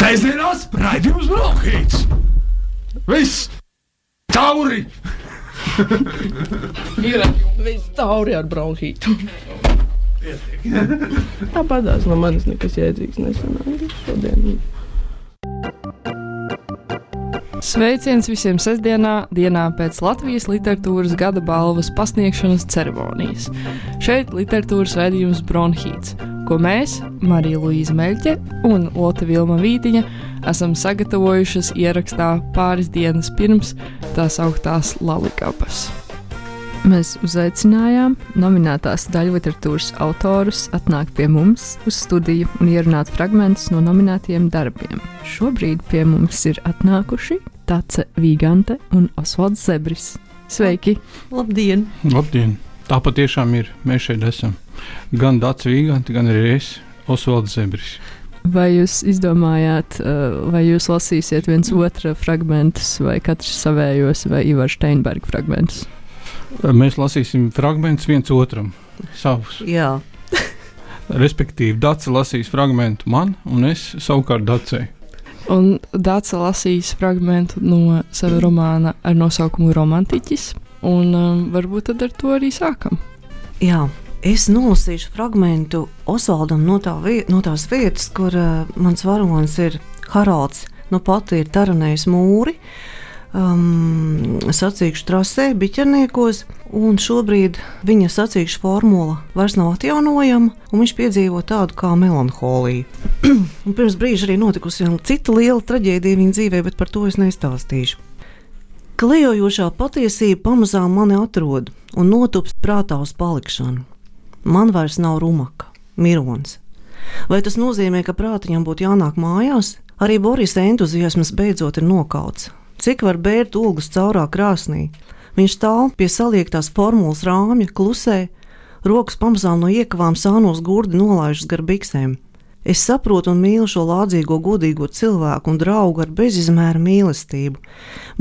Sēsdienās raidījums Bronhīts. Viss tauri. Viss tauri ar bronhītu. Tāpatās no manis nekas jēdzīgs nesanāk šodien. Sveiciens visiem sestdienā, dienā pēc Latvijas literatūras gada balvas pasniegšanas ceremonijas. Šeit literatūras raidījums Bronhīts, ko mēs, Marija Luīza Meļķe un Lotte Vilma Vītiņa, esam sagatavojušas ierakstā pāris dienas pirms tās augtās Lalikapas. Mēs uzaicinājām nominētās daļliteratūras autorus atnākt pie mums uz studiju un ierunāt fragmentus no nominētajiem darbiem. Šobrīd pie mums ir atnākuši Dace Vīgante un Osvalds Zebris. Sveiki! Labdien! Labdien! Tā patiešām ir. Mēs šeit esam. Gan Dace Vīgante, gan arī es, Osvalds Zebris. Vai jūs izdomājāt, vai jūs lasīsiet viens otra fragmentus, vai katrs savējos, vai Ivar Steinberga fragmentus? Mēs lasīsim fragmentus viens otram, savus. Jā. Respektīvi, Dace lasīs fragmentu man, un es savukārt Dacei. Un Dace lasīs fragmentu no sava romāna ar nosaukumu Romantiķis, un varbūt tad ar to arī sākam. Jā, es nolasīšu fragmentu Osvaldam no tās vietas, kur mans varonis ir Haralds, nu pati ir taranējis mūri, sacīkšu trasē, biķerniekos, un šobrīd viņa sacīkšu formula vairs nav atjaunojama, un viņš piedzīvo tādu kā melanholiju. Un pirms brīža arī notikusi viena cita liela traģēdija viņa dzīvē, bet par to es nestāstīšu. Klejojošā patiesība pamazām mani atrod un notupst prātā uz palikšanu. Man vairs nav rumaka, mirons. Vai tas nozīmē, ka prātiņam būtu jānāk mājās? Arī Borisa entuziasmas beidzot ir nokauts. Cik var bērt ogles caurā krāsnī? Viņš stāv pie saliektās formulas rāmja, klusē, rokas pamazām no iekavām sānos gurdi nolaižas gar biksēm. Es saprotu un mīlu šo lādzīgo, godīgo cilvēku un draugu ar bezizmēra mīlestību.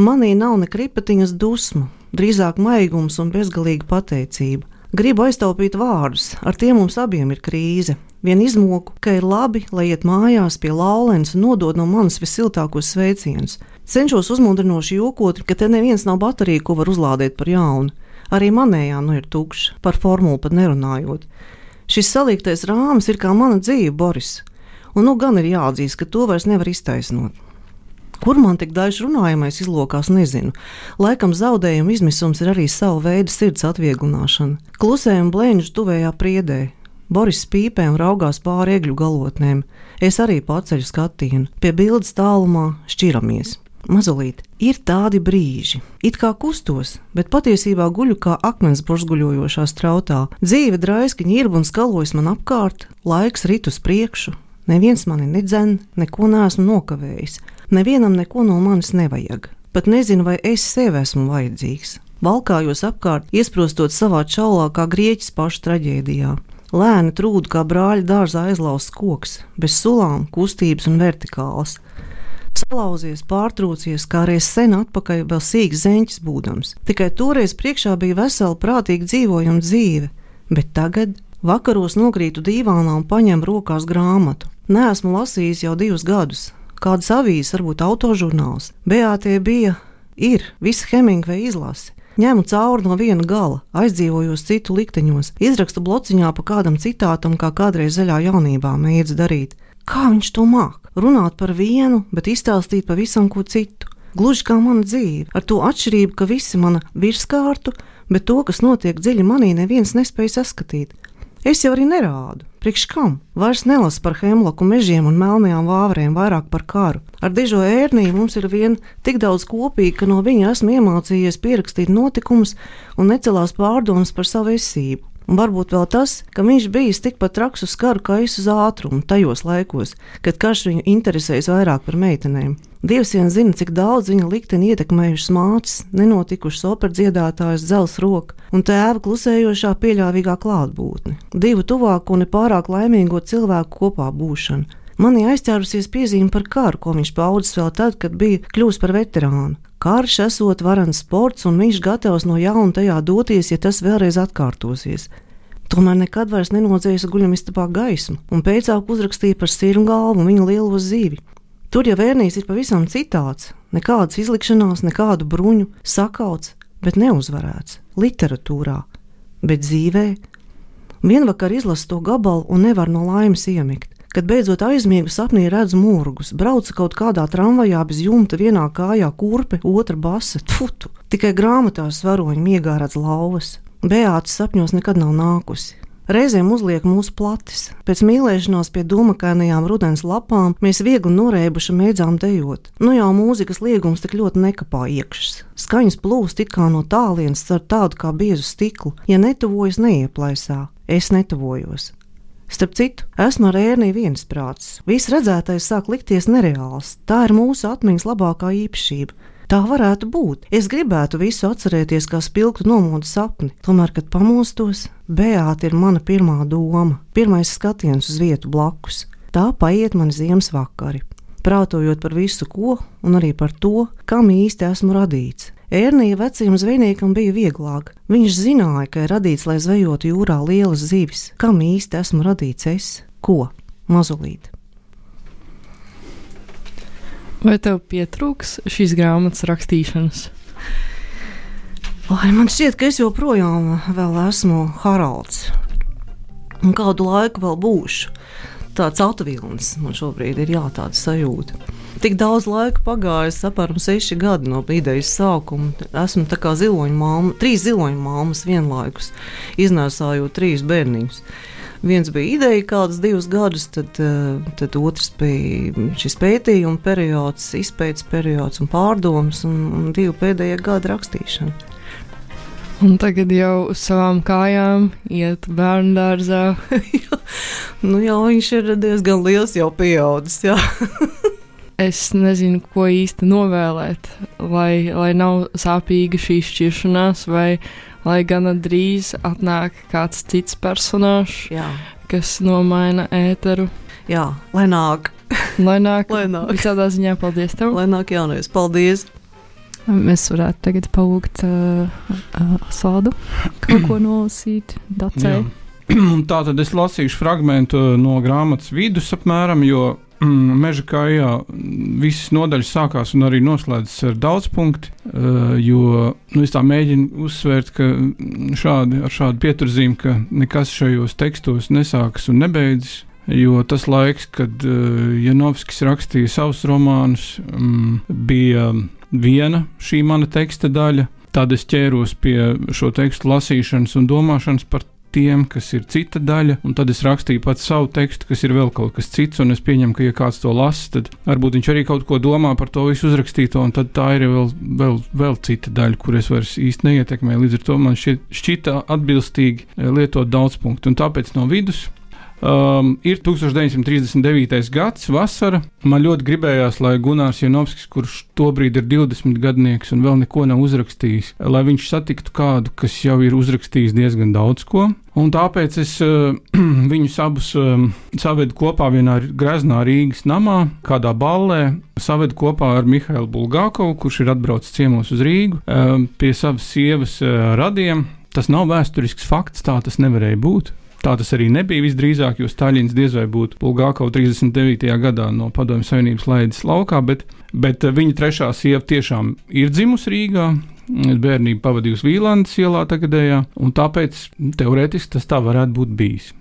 Manī nav ne kripatiņas dusmu, drīzāk maigums un bezgalīga pateicība. Gribu aiztaupīt vārdus, ar tiem mums abiem ir krīze. Vien izmoku, ka ir labi, lai iet mājās pie Laulens un nodod no manis visiltākos sveicienus. Cenšos uzmundrinoši jokot, ka te neviens nav baterija, ko var uzlādēt par jaunu. Arī manējā nu ir tukša, par formulu pat nerunājot. Šis saliektais rāmis ir kā mana dzīve, Boris, un nu gan ir jāatzīst, ka to vairs nevar iztaisnot. Kur man tik daļš runājamais izlokās, nezinu. Laikam zaudējuma izmisums ir arī sava veida sirds atvieglināšana. Klusējam blēņš tuvējā priedē. Boris spīpē un raugās pāri egļu galotnēm. Es arī paceļu skatienu. Pie bildes tālumā šķiramies. Mazulīt, ir tādi brīži. It kā kustos, bet patiesībā guļu kā akmens burzguļojošā strautā. Dzīve draiski ņirb un skalojas man apkārt, laiks rit uz priekšu. Neviens mani nedzen, neko neesmu nokavējis. Nevienam neko no manis nevajag. Pat nezinu, vai es sev esmu vajadzīgs. Valkājos apkārt, iesprostot savā čaulā kā grieķis paša traģēdijā. Lēni trūdu kā brāļa dārzā aizlausts koks, bez sulām, kustības un vertikālas. Salauzies, pārtrūcies, kā reiz sen atpakaļ vēl sīks zeņķis būdams. Tikai toreiz priekšā bija vesela prātīgi dzīvojama dzīve, bet tagad vakaros nokrītu dīvānā un paņem rokās grāmatu. Neesmu lasījis jau 2 gadus. Kādas avīzes, varbūt autožurnāls. Beātie ir visa Hemingveja izlase. Ņemu cauri no viena gala, aizdzīvojos citu likteņos, izrakstu blociņā pa kādam citātam, kā kādreiz zaļā jaunībā mēdz darīt. Kā viņš to māk? Runāt par vienu, bet izstāstīt pavisam ko citu. Gluži kā mana dzīve, ar to atšķirību, ka visi mana virskārtu, bet to, kas notiek dziļi manī, neviens nespēja saskatīt. Es jau arī nerādu. Priekš kam? Vairs nelasu par hemloku mežiem un melnajām vāverēm, vairāk par karu. Ar dižo ērniju mums ir vien tik daudz kopīgi, ka no viņa esmu iemācījies pierakstīt notikumus un necelās pārdomas par savu esību. Un varbūt vēl tas, ka viņš bijis tikpat traks uz karu kā es uz ātrumu tajos laikos, kad karš viņu interesējas vairāk par meitenēm. Dievs vien zina, cik daudz viņa likteni ietekmējušas mātes, nenotikušas operdziedātājas dzels roka un tēva klusējošā pieļāvīgā klātbūtne. 2 tuvāku un nepārāk laimīgo cilvēku kopā būšana. Manī aizķērusies piezīme par karu, ko viņš paudis vēl tad, kad bija kļūst par veterānu. Karš esot varans sports, un viņš gatavs no jauna tajā doties, ja tas vēlreiz atkārtosies. Tomēr nekad vairs nenodzēsa guļamistabā gaismu, un pēcāk uzrakstīja par sirmgalvu un viņa lielo zīvi. Tur jau Ernijs ir pavisam citāds. Nekādas izlikšanās, nekādu bruņu, sakauts, bet neuzvarēts. Literatūrā, bet dzīvē. Vienvakar izlasu to gabalu un nevar no laimes iemigt. Kad beidzot aizmiegu, sapnī redzu mūrgus. Braucu kaut kādā tramvajā bez jumta, vienā kājā kurpe, otra basa. Tfutu! Tikai grāmatās varoņi miegā redz lauvas. Beāta sapņos nekad nav nākusi. Reizēm uzliek mūsu platis. Pēc mīlēšanās pie dūmakainajām rudens lapām mēs viegli norēbuši mēdzām dejot. Nu jau mūzikas liegums tik ļoti nekapā iekšas. Skaņas plūst it kā no tālienes caur tādu kā biezu stiklu. Ja netuvojas, neieplaisā. Es netuvojos. Starp citu, esmu ar Erniju viensprātis. Viss redzētais sāk likties nereāls. Tā ir mūsu atmiņas labākā īpašība. Tā varētu būt. Es gribētu visu atcerēties kā spilgtu nomodu sapni. Tomēr, kad pamostos, Beāta ir mana pirmā doma, pirmais skatiens uz vietu blakus. Tā paiet mani ziemas vakari, prātojot par visu ko un arī par to, kam īsti esmu radīts. Ernija vecajam zvejniekam bija vieglāk. Viņš zināja, ka ir radīts, lai zvejotu jūrā lielas zivis. Kam īsti esmu radīts es? Ko? Mazulīt. Vai tev pietrūks šīs grāmatas rakstīšanas? Man šķiet, ka es joprojām vēl esmu Haralds. Un kādu laiku vēl būšu. Tāds autovilnis man šobrīd ir tāda sajūta. Tik daudz laika pagājis, apmēram 6 gadi no idejas sākuma. Esmu tā kā ziloņu mamma, 3 ziloņu mammas vienlaikus, iznēsājot 3 bērniņus. Viens bija ideja kādas 2 gadus, tad otrs bija šis pētījuma periods, izpētes periods un pārdomas, un 2 pēdējie gadi rakstīšana. Un tagad jau uz savām kājām iet bērnu dārzā. Jā, viņš ir diezgan liels, jau pieaudzis, jā. Es nezinu, ko īsti novēlēt, lai nav sāpīga šī šķiršanās, vai lai gana drīz atnāk kāds cits personāžs, kas nomaina ēteru. Jā, lai nāk. Lai nāk. Visādā ziņā paldies tev. Lai nāk jaunais, paldies. Mēs varētu tagad palūgt Sādu kaut ko nolasīt, Dacei. Tātad es lasīšu fragmentu no grāmatas vidus apmēram, jo Meža kājā visas nodaļas sākās un arī noslēdzas ar daudzpunkti, jo es tā mēģinu uzsvērt, ka ar šādu pieturzīmi, ka nekas šajos tekstos nesākas un nebeidzas, jo tas laiks, kad Janovskis rakstīja savus romānus, bija viena šī mana teksta daļa, tad es ķēros pie šo tekstu lasīšanas un domāšanas par tiem, kas ir cita daļa, un tad es rakstīju pats savu tekstu, kas ir vēl kaut kas cits, un es pieņemu, ka ja kāds to lasa, tad varbūt viņš arī kaut ko domā par to visu uzrakstīto, un tad tā ir vēl cita daļa, kur es vairs īsti neietekmēju, līdz ar to man šķita atbilstīgi lietot daudzpunktu, un tāpēc no vidus ir 1939. gads, vasara. Man ļoti gribējās, lai Gunārs Janovskis, kurš tobrīd ir 20 gadnieks un vēl neko nav uzrakstījis, lai viņš satiktu kādu, kas jau ir uzrakstījis diezgan daudz ko. Un tāpēc es viņus abus savedu kopā vienā greznā Rīgas namā, kādā ballē, savedu kopā ar Mihailu Bulgākovu, kurš ir atbraucis ciemos uz Rīgu, pie savas sievas radiem. Tas nav vēsturisks fakts, tā tas nevarēja būt. Tā tas arī nebija visdrīzāk, jo Staļins diez vai būtu Bulgākovu 39. gadā no Padomju Savienības laidis laukā, bet viņa trešā sieva tiešām ir dzimusi Rīgā, bērnību pavadījusi Vīlandes ielā tagadējā, un tāpēc teorētiski tas tā varētu būt bijis.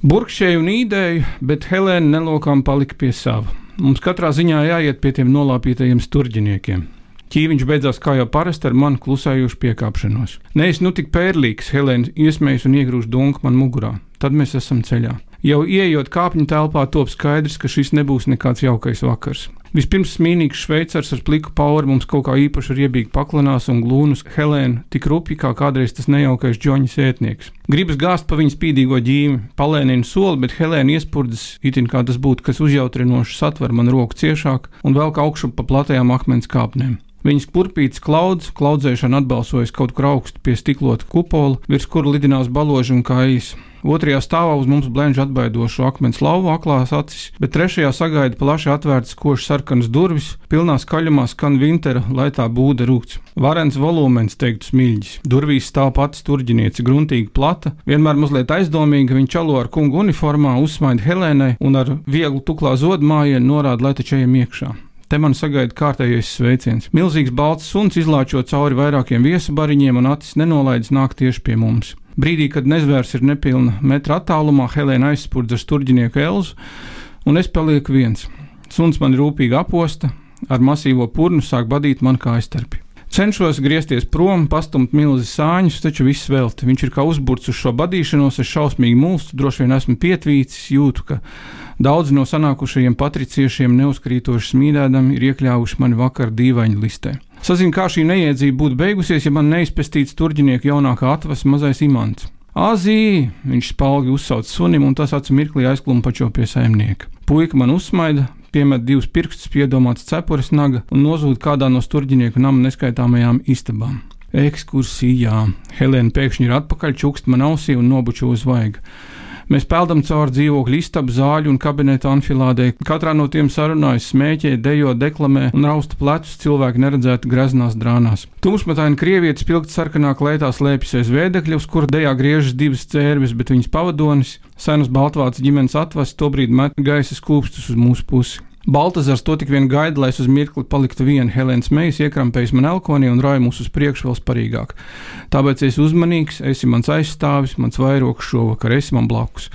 Burkšēju un īdēju, bet Helēna nelokām palika pie sava. Mums katrā ziņā jāiet pie tiem nolāpītajiem sturģiniekiem. Ķīviņš beidzās kā jau parasti ar manu klusējušu piekāpšanos. Neesi nu tik pērlīgs, Helēna iesmējas un iegrūž dunku man mugurā. Tad mēs esam ceļā. Jau ieejot kāpņu telpā, top skaidrs, ka šis nebūs nekāds jaukais vakars. Vispirms smīnīgs šveicars ar pliku pauri mums kaut kā īpaši riebīgi paklanās un glūnus Helēnu tik rupji kā kādreiz tas nejaukais Džoņa sētnieks. Gribas gāzt pa viņas spīdīgo ģīmi, palēnina soli, bet Helēna iespurdzes, itin kā tas būtu, kas uzjautrinoši satver man roku ciešāk un velk augšu pa platajām akmens kāpnēm. Viņas kurpītas klaudzēšana atbalsojas kaut kur augstu pie stiklota kupola, virs kura lidinās baloži un kājas. Otrajā stāvā uz mums blenž atbaidošu akmens lauvu aklās acis, bet trešajā sagaida plaši atvērtas koši sarkanas durvis, pilnā skaļumā skan Vintera laitā būda rūkts. Varens volūmens, teiktu Smiļģis. Durvīs stāv pati sturģiniece, gruntīgi plata, vienmēr mazliet aizdomīga, viņa čalo ar kungu uniformā, uzsmaida Helēnai un ar vieglu tuklā zodmājienu norāda, lai taču ejam iekšā. Te man sagaida kārtējais sveiciens. Milzīgs balts suns izlāčo cauri vairākiem viesabariņiem un acis nenolaidis nāk tieši pie mums. Brīdī, kad nezvērs ir nepilna metra attālumā, Helēna aizspurdz ar sturģinieku Elzu, un es palieku viens. Suns man rūpīgi aposta, ar masīvo purnu sāk badīt man kājstarpi. Cenšos griezties prom, pastumt milzi sāņus, taču viss velti. Viņš ir kā uzburts uz šo badīšanos, es šausmīgi mulstu, droši vien esmu pietvīcis, jūtu, ka daudzi no sanākušajiem patriciešiem neuzkrītoši smīdēdami ir iekļāvuši mani vakar dīvaņu listē. Sazinu, kā šī neiedzība būtu beigusies, ja man neizpestīts turģinieku jaunākā atvas mazais Imants. Āzī! Viņš spalgi uzsauc sunim, un tas acu mirklī aizklumpačo pie saimnieka. Puika man uzsmaida, piemet 2 pirkstus piedomāts cepures naga un nozūd kādā no sturģinieku nama neskaitāmajām istabām. Ekskursijā. Helēna pēkšņi ir atpakaļ, čukst man ausī un nobučo uz vaiga. Mēs peldam cauri dzīvokļu istabu, zāļu un kabineta anfilādē. Katrā no tiem sarunājas, smēķē, dejo, deklamē un rausta plecus cilvēki neredzēti greznās drānās. Tumšmataini krievietis spilgti sarkanā kleitā slēpjas aiz vēdekļa, uz kura dejā griežas 2 cērvis, bet viņas pavadonis, senas baltvācu ģimenes atvas, tobrīd met gaisa skūpstus uz mūsu pusi. Baltazars to tik vien gaida, lai es uz mirkli paliktu viena. Helēnas mejas iekrampējas man elkonī un rāja mūs uz priekšu vēl sparīgāk. Tāpēc esi uzmanīgs, esi mans aizstāvis, mans vairoks šovakar, esi man blakus.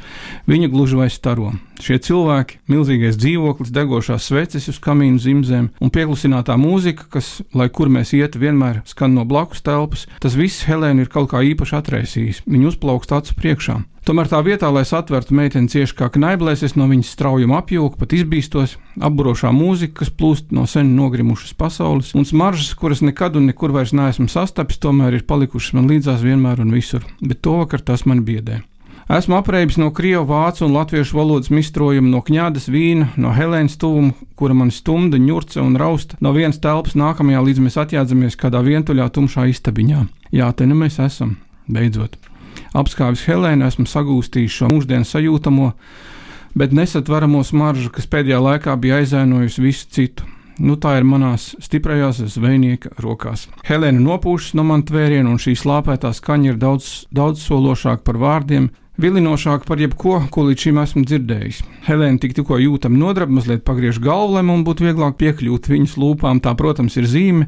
Viņa gluži vai staro. Šie cilvēki, milzīgais dzīvoklis, degošās sveces uz kamīnu zimzēm un pieklusinātā mūzika, kas, lai kur mēs ietu, vienmēr skan no blakus telpas, tas viss Helēnu ir kaut kā īpaši atraisījis. Viņa uzplaukst acu priekšā. Tomēr tā vietā, lai satvertu meiteni cieši kā knaiblēs, es no viņas straujuma apjūku, pat izbīstos, apburošā mūzika, kas plūst no sen nogrimušas pasaules, un smaržas, kuras nekad un nekur vairs neesmu sastapis, tomēr ir palikušas man līdzās vienmēr un visur, bet to vakar tas man biedē. Esmu apreibis no krievu, vācu un latviešu valodas mistrojuma, no kņādas vīna, no Helēnas tuvuma, kura man stumda, ņurca un rausta, no vienas telpas nākamajā, līdz mēs atjādzamies kādā vientuļā tumšā istabiņā. Jā, te nu mēs esam, beidzot. Apskāvis Helēnu, esmu sagūstījis šo mūždienas sajūtamo, bet nesatveramo smaržu, kas pēdējā laikā bija aizēnojusi visu citu. Nu, tā ir manās stiprajās zvejnieka rokās. Helēna nopūšas no man tvērienu, un šī slāpētā skaņa ir daudz sološāka par vārdiem, vilinošāk par jebko, ko līdz šim esmu dzirdējis. Helēna tikko jūtam nodrab, mazliet pagriež galvu, lai man būtu vieglāk piekļūt viņas lūpām, tā, protams, ir zīme,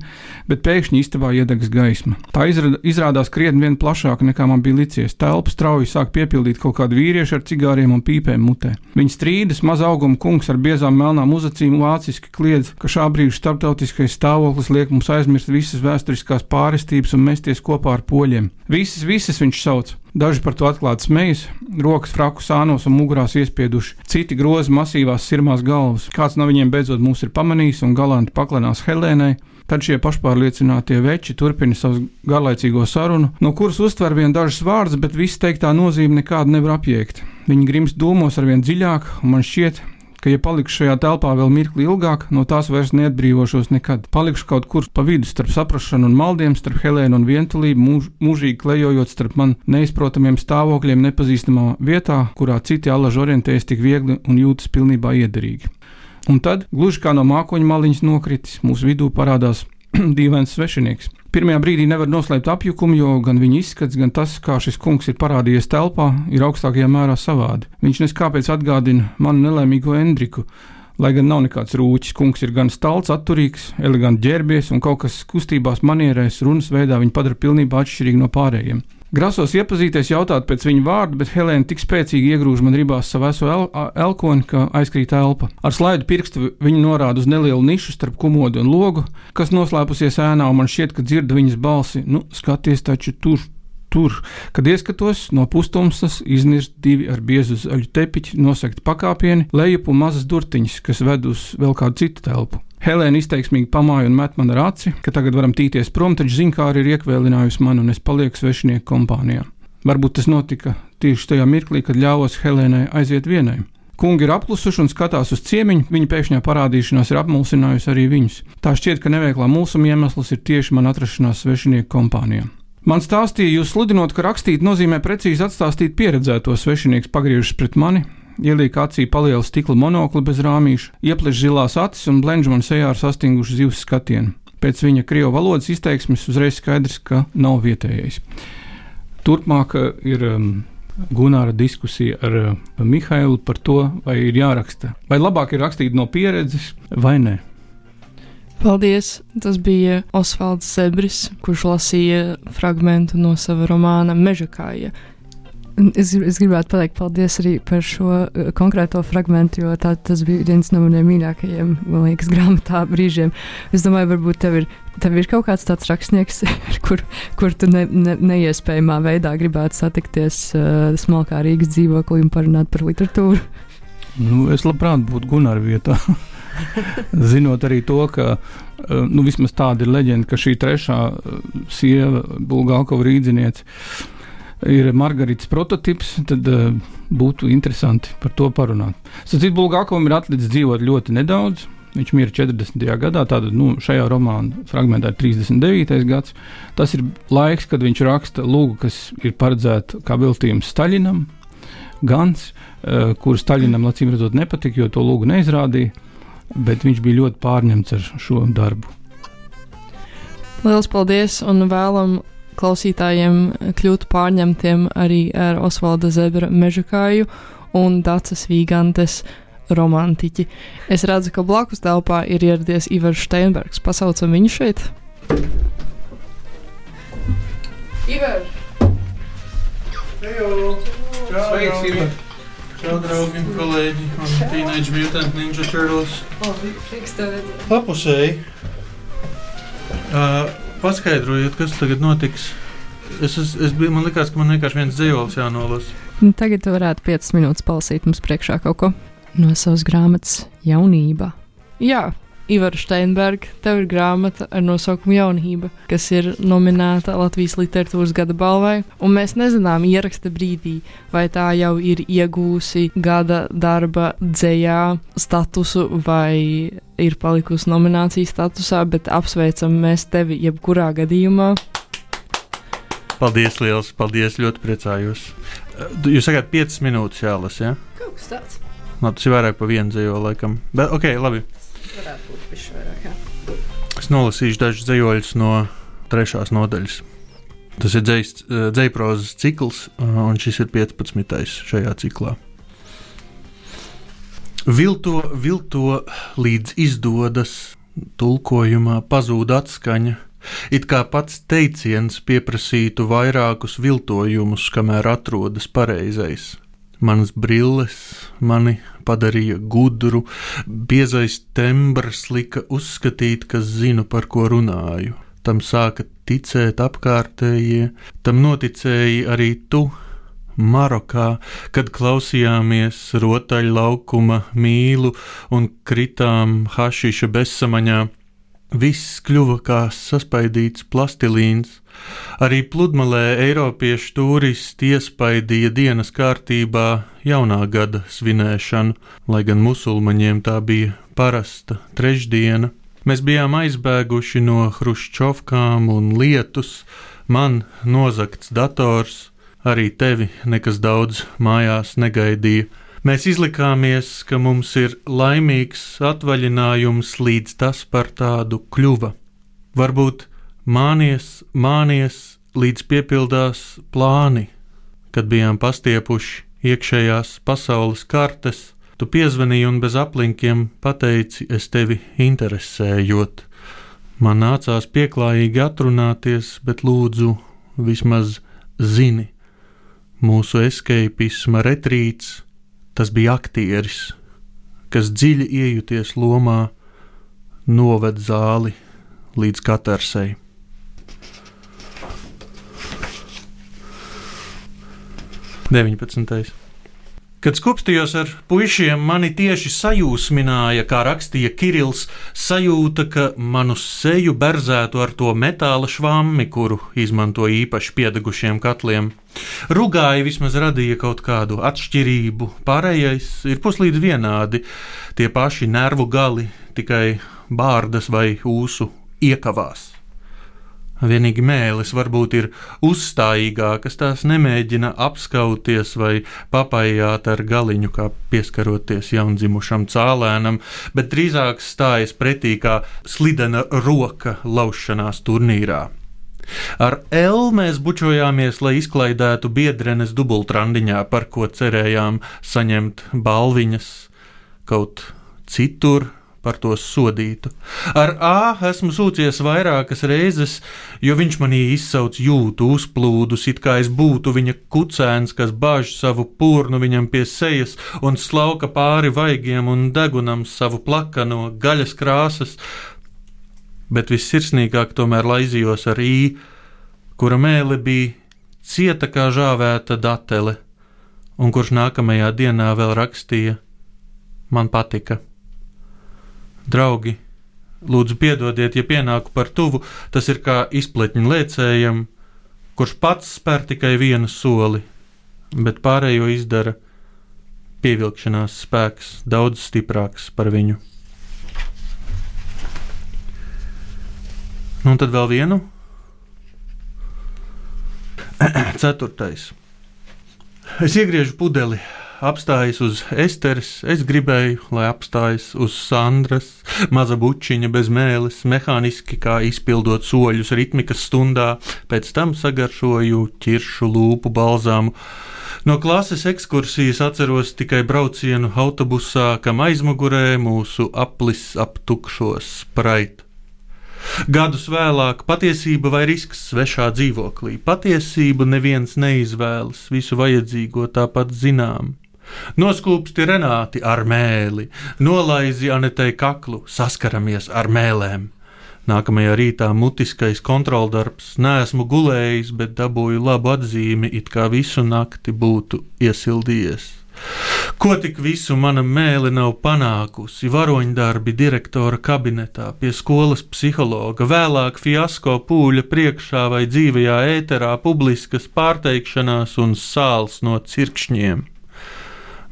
bet pēkšņi istabā iedegas gaisma. Tā izrādās krietni vien plašāka, nekā man bija licies. Telpa strauji sāk piepildīt kaut kādu vīriešu ar cigāriem un pīpēm mutē. Viņi strīdas, maza auguma kungs ar biezām melnām uzacīm vāciski kliedz, ka šā brīža starptautiskais stāvoklis liek mums aizmirst visas vēsturiskās pārestības un mesties kopā ar poļiem. Visas viņš sauc. Daži par to atklāti smejas, rokas fraku sānos un mugurās iespieduši, citi groza masīvās sirmās galvas. Kāds no viņiem beidzot mūs ir pamanījis un galanti paklanās Helēnai, tad šie pašpārliecinātie veči turpina savu garlaicīgo sarunu, no kuras uztver vien dažas vārdas, bet viss teiktā nozīme nekādu nevar apjēgt. Viņi grimst dūmos arvien dziļāk, un man šķiet, ka, ja palikšu šajā telpā vēl mirkli ilgāk, no tās vairs neatbrīvošos nekad. Palikšu kaut kur pa vidu starp saprašanu un maldiem, starp Helēnu un vientulību, mūžīgi klejojot starp man neizprotamiem stāvokļiem nepazīstamā vietā, kurā citi allaži orientējas tik viegli un jūtas pilnībā iederīgi. Un tad, gluži kā no mākoņa maliņas nokritis, mūsu vidū parādās dīvains svešinieks. Pirmajā brīdī nevar noslēpt apjukumu, jo gan viņa izskats, gan tas, kā šis kungs ir parādījies telpā, ir augstākajā mērā savādi. Viņš neskāpēc atgādina manu nelaimīgo Endriku, lai gan nav nekāds rūķis. Kungs ir gan stalts, atturīgs, eleganti ģērbies un kaut kas kustībās, manierēs, runas veidā viņu padara pilnībā atšķirīgi no pārējiem. Grasos iepazīties, jautāt pēc viņa vārda, bet Helēna tik spēcīgi iegrūž man ribās savu veso elkoni, ka aizkrīt elpa. Ar slaidu pirkstu viņa norāda uz nelielu nišu starp komodu un logu, kas noslēpusies ēnā, un man šķiet, ka dzirdu viņas balsi. Nu, skaties taču tur. Kad ieskatos, no pustumsas iznirst 2 ar biezu zaļu tepiķi nosegti pakāpieni, lejup un mazas durtiņas, kas ved uz vēl kādu citu telpu. Helēna izteiksmīgi pamāja un met man ar aci, ka tagad varam tīties prom, taču zinkāri ir iekvēlinājusi man un es palieku svešinieku kompānijā. Varbūt tas notika tieši tajā mirklī, kad ļāvos Helēnai aiziet vienai. Kungi ir apklusuši un skatās uz ciemiņu, viņa pēkšņā parādīšanās ir apmulsinājusi arī viņus. Tā šķiet, ka neveiklā mulsuma iemesls ir tieši man atrašanās svešinieku kompānijā. Man stāstīja, jūs sludinot, ka rakstīt nozīmē precīzi atstāstīt pieredzēto. Svešinieks pagriežas pret mani, ieliek acī palielu stikla monokli bez rāmīša, iepleš zilās acis un blenž man sejā ar sastingušu zivs skatienu. Pēc viņa krievu valodas izteiksmes uzreiz skaidrs, ka nav vietējais. Turpmāk ir Gunāra diskusija ar Mihailu par to, vai ir jāraksta, vai labāk ir rakstīt no pieredzes vai nē. Paldies! Tas bija Osvalds Zebris, kurš lasīja fragmentu no sava romāna Mežakāja. Es gribētu pateikt paldies arī par šo konkrēto fragmentu, jo tas bija viens no maniem mīļākajiem, man liekas, grāmatā brīžiem. Es domāju, varbūt tev ir kaut kāds tāds rakstnieks, kur tu neiespējamā veidā gribētu satikties smalkā Rīgas dzīvoklī un parunāt par literatūru. Es labprāt būtu Gunāra vietā. Zinot arī to, ka vismaz tāda ir leģenda, ka šī trešā sieva, Bulgakova rīdziniece, ir Margaritas prototips, tad būtu interesanti par to parunāt. Sacīt, Bulgakovam ir atlicis dzīvot ļoti nedaudz. Viņš mira 40. gadā, tātad šajā romāna fragmentā ir 39. gads. Tas ir laiks, kad viņš raksta lūgu, kas ir paredzēta kā veltījums Staļinam, Gans, kuru Staļinam acīm redzot nepatika, jo to lūgu neizrādīja. Bet viņš bija ļoti pārņemts ar šo darbu. Liels paldies un vēlam klausītājiem kļūt pārņemtiem arī ar Osvalda Zebra Mežakāju un Dacas Vīgantes romantiķi. Es redzu, ka blakus telpā ir ieradies Ivars Steinbergs. Pasaucam viņu šeit. Ivar! Sveiks, Ivar! Čau, draugi, kolēģi un Teenage Mutant Ninja Turtles. Lapusēji. Paskaidrojiet, kas tagad notiks. Man likās, ka man vienkārši viens dzējols jānolas. Tagad tu varētu 5 minūtes palasīt mums priekšā kaut ko no savas grāmatas Jaunība. Jā, Ivar Steinberg, tev ir grāmata ar nosaukumu Jaunība, kas ir nominēta Latvijas literatūras gada balvai, un mēs nezinām ieraksta brīdī, vai tā jau ir iegūsi gada darba dzejā statusu vai ir palikusi nominācijas statusā, bet apsveicam mēs tevi jebkurā gadījumā. Paldies liels, paldies, ļoti priecājos. Jūs sakāt 5 minūtes jālas, ja? Kaut kas tāds. Tas ir vairāk pa vienu dzējo laikam, bet ok, labi. Varētu būt pišķi vairāk, jā. Es nolasīšu dažus dzējoļus no 3. nodaļas. Tas ir dzejprozas cikls, un šis ir 15. šajā ciklā. Vilto, līdz izdodas, tulkojumā pazūd atskaņa, it kā pats teiciens pieprasītu vairākus viltojumus, kamēr atrodas pareizais. Manas brilles mani padarīja gudru, biezais tembrs lika uzskatīt, ka zinu, par ko runāju. Tam sāka ticēt apkārtējie, tam noticēji arī tu, Marokā, kad klausījāmies rotaļlaukuma mīlu un kritām hašiša bezsamaņā. Viss kļuva kā saspaidīts plastilīns. Arī pludmalē eiropiešu turisti iespaidīja dienas kārtībā jaunā gada svinēšanu, lai gan musulmaņiem tā bija parasta trešdiena. Mēs bijām aizbēguši no hruščovkām un lietus, man nozagts dators, arī tevi nekas daudz mājās negaidīja. Mēs izlikāmies, ka mums ir laimīgs atvaļinājums, līdz tas par tādu kļuva. Varbūt mānies, līdz piepildās plāni, kad bijām pastiepuši iekšējās pasaules kartes. Tu piezvanīji un bez aplinkiem pateici, es tevi interesējot. Man nācās pieklājīgi atrunāties, bet lūdzu, vismaz zini, mūsu escapisma retrīts. Tas bija aktieris, kas dziļi iejuties lomā, noved zāli līdz Katarsei. Deviņpadsmitais. Kad skupstījos ar puišiem, mani tieši sajūsmināja, kā rakstīja Kirils, sajūta, ka manu seju berzētu ar to metāla švammi, kuru izmanto īpaši piedegušiem katliem. Rugāji vismaz radīja kaut kādu atšķirību, pārējais ir puslīdz vienādi, tie paši nervu gali, tikai bārdas vai ūsu iekavās. Vienīgi mēlis varbūt ir uzstājīgākas, tās nemēģina apskauties vai papājāt ar galiņu, kā pieskaroties jaundzimušam cālēnam, bet drīzāk stājas pretī kā slidena roka laušanās turnīrā. Ar L mēs bučojāmies, lai izklaidētu biedrenes dubultrandiņā, par ko cerējām saņemt balviņas, kaut citur par to sodītu. Ar A esmu sūcies vairākas reizes, jo viņš manī izsauc jūtu uzplūdus, it kā es būtu viņa kucēns, kas bāž savu purnu viņam pie sejas un slauka pāri vaigiem un degunam savu plakano gaļas krāsas, bet vissirsnīgāk tomēr laizījos ar I, kura mēle bija cieta kā žāvēta datele, un kurš nākamajā dienā vēl rakstīja: man patika. Draugi, lūdzu piedodiet, ja pienāku par tuvu, tas ir kā izpletņu lēcējam, kurš pats spēr tikai vienu soli, bet pārējo izdara pievilkšanās spēks daudz stiprāks par viņu. Nu, un tad vēl vienu. 4. Es iegriežu pudeli, apstājas uz Esteres, es gribēju, lai apstājas uz Sandras, maza bučiņa bez mēles, mehāniski kā izpildot soļus ritmikas stundā, pēc tam sagaršoju ķiršu lūpu balzāmu. No klases ekskursijas atceros tikai braucienu autobusā, kam aizmugurē mūsu aplis ap tukšo Sprite. Gadus vēlāk patiesība vai risks svešā dzīvoklī. Patiesību neviens neizvēlas, visu vajadzīgo tāpat zinām. Noskūpsti Renāti ar mēli, nolaizi Anetei kaklu, saskaramies ar mēlēm. Nākamajā rītā mutiskais kontroldarbs, neesmu gulējis, bet dabūju labu atzīmi, it kā visu nakti būtu iesildījies. Ko tik visu mana mēle nav panākusi, varoņdarbi direktora kabinetā, pie skolas psihologa, vēlāk fiasko pūļa priekšā vai dzīvajā ēterā, publiskas pārteikšanās un sāls no cirkšņiem.